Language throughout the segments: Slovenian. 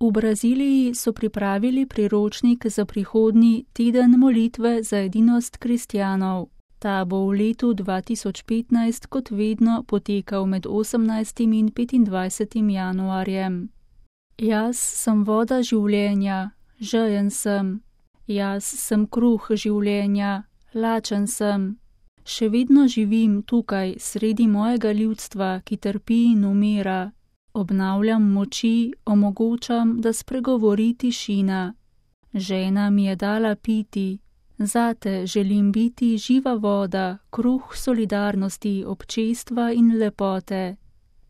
V Braziliji so pripravili priročnik za prihodnji teden molitve za edinost kristjanov. Ta bo v letu 2015 kot vedno potekal med 18. in 25. januarjem. Jaz sem voda življenja, žejen sem. Jaz sem kruh življenja, lačen sem. Še vedno živim tukaj sredi mojega ljudstva, ki trpi in umira. Obnavljam moči, omogočam, da spregovori tišina. Žena mi je dala piti. Zate želim biti živa voda, kruh solidarnosti, občestva in lepote.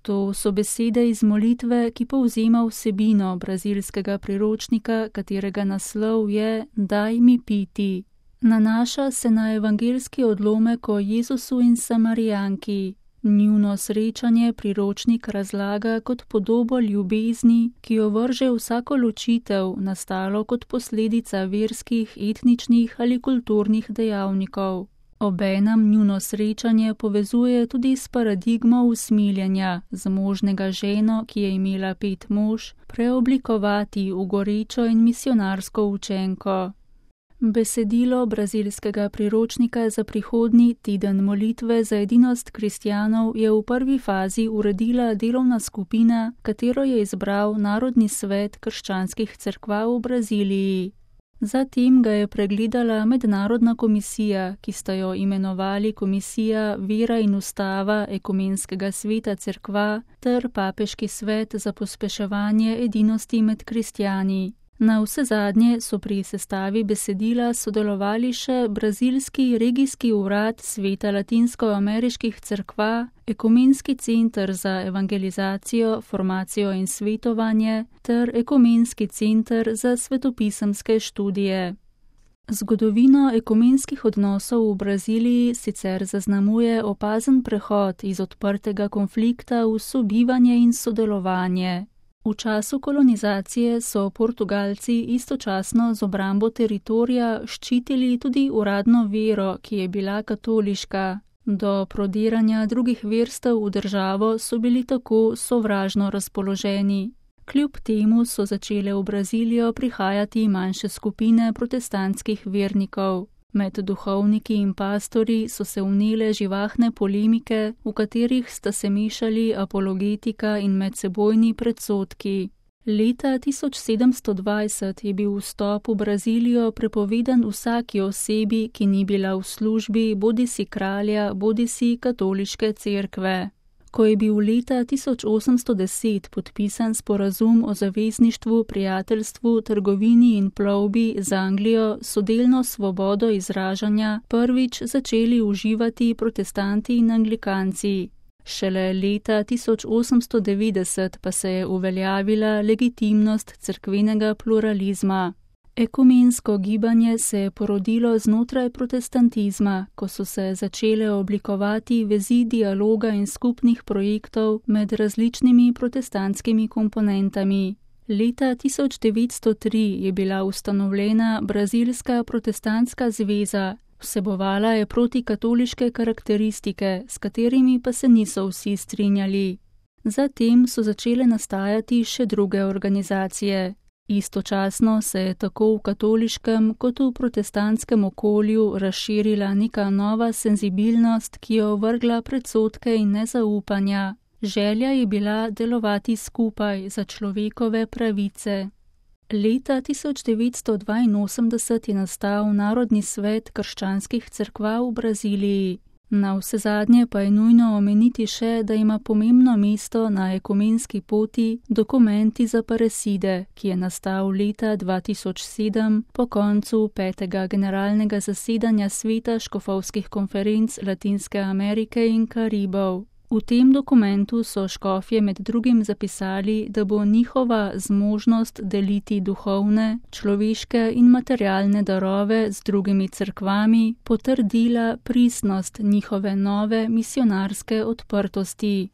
To so besede iz molitve, ki povzema vsebino brazilskega priročnika, katerega naslov je Daj mi piti. Nanaša se na evangeljski odlomek o Jezusu in Samarijanki. Njuno srečanje priročnik razlaga kot podobo ljubezni, ki jo vrže vsako ločitev, nastalo kot posledica verskih, etničnih ali kulturnih dejavnikov. Obenem njuno srečanje povezuje tudi s paradigmo usmiljenja, zmožnega ženo, ki je imela 5 mož, preoblikovati v gorečo in misionarsko učenko. Besedilo brazilskega priročnika za prihodnji teden molitve za edinost kristjanov je v prvi fazi uredila delovna skupina, katero je izbral Narodni svet krščanskih cerkva v Braziliji. Zatem ga je pregledala mednarodna komisija, ki sta jo imenovali Komisija Vera in Ustava Ekumenskega sveta cerkva ter Papeški svet za pospeševanje edinosti med kristjani. Na vse zadnje so pri sestavi besedila sodelovali še Brazilski regijski urad Sveta latinskoameriških cerkva, Ekumenski center za evangelizacijo, formacijo in svetovanje ter Ekumenski center za svetopisemske študije. Zgodovino ekumenskih odnosov v Braziliji sicer zaznamuje opazen prehod iz odprtega konflikta v sobivanje in sodelovanje. V času kolonizacije so Portugalci istočasno z obrambo teritorija ščitili tudi uradno vero, ki je bila katoliška. Do prodiranja drugih verstev v državo so bili tako sovražno razpoloženi. Kljub temu so začele v Brazilijo prihajati manjše skupine protestantskih vernikov. Med duhovniki in pastorji so se vnele živahne polemike, v katerih sta se mešali apologetika in medsebojni predsodki. Leta 1720 je bil vstop v Brazilijo prepovedan vsaki osebi, ki ni bila v službi bodisi kralja, bodisi katoliške cerkve. Ko je bil leta 1810 podpisan sporazum o zavezništvu, prijateljstvu, trgovini in plovbi z Anglijo, so delno svobodo izražanja prvič začeli uživati protestanti in anglikanci. Šele leta 1890 pa se je uveljavila legitimnost cerkvenega pluralizma. Ekumensko gibanje se je porodilo znotraj protestantizma, ko so se začele oblikovati vezi dialoga in skupnih projektov med različnimi protestantskimi komponentami. Leta 1903 je bila ustanovljena Brazilska protestantska zveza, vsebovala je protikatoliške karakteristike, s katerimi pa se niso vsi strinjali. Zatem so začele nastajati še druge organizacije. Istočasno se je tako v katoliškem kot v protestantskem okolju razširila neka nova senzibilnost, ki je ovrgla predsodke in nezaupanja. Želja je bila delovati skupaj za človekove pravice. Leta 1982 je nastal Narodni svet krščanskih cerkva v Braziliji. Na vsezadnje pa je nujno omeniti še, da ima pomembno mesto na ekumenski poti Dokumenti za Pareside, ki je nastal leta 2007 po koncu 5. generalnega zasedanja Sveta škofovskih konferenc Latinske Amerike in Karibov. V tem dokumentu so škofje med drugim zapisali, da bo njihova zmožnost deliti duhovne, človeške in materialne darove z drugimi cerkvami potrdila pristnost njihove nove misionarske odprtosti.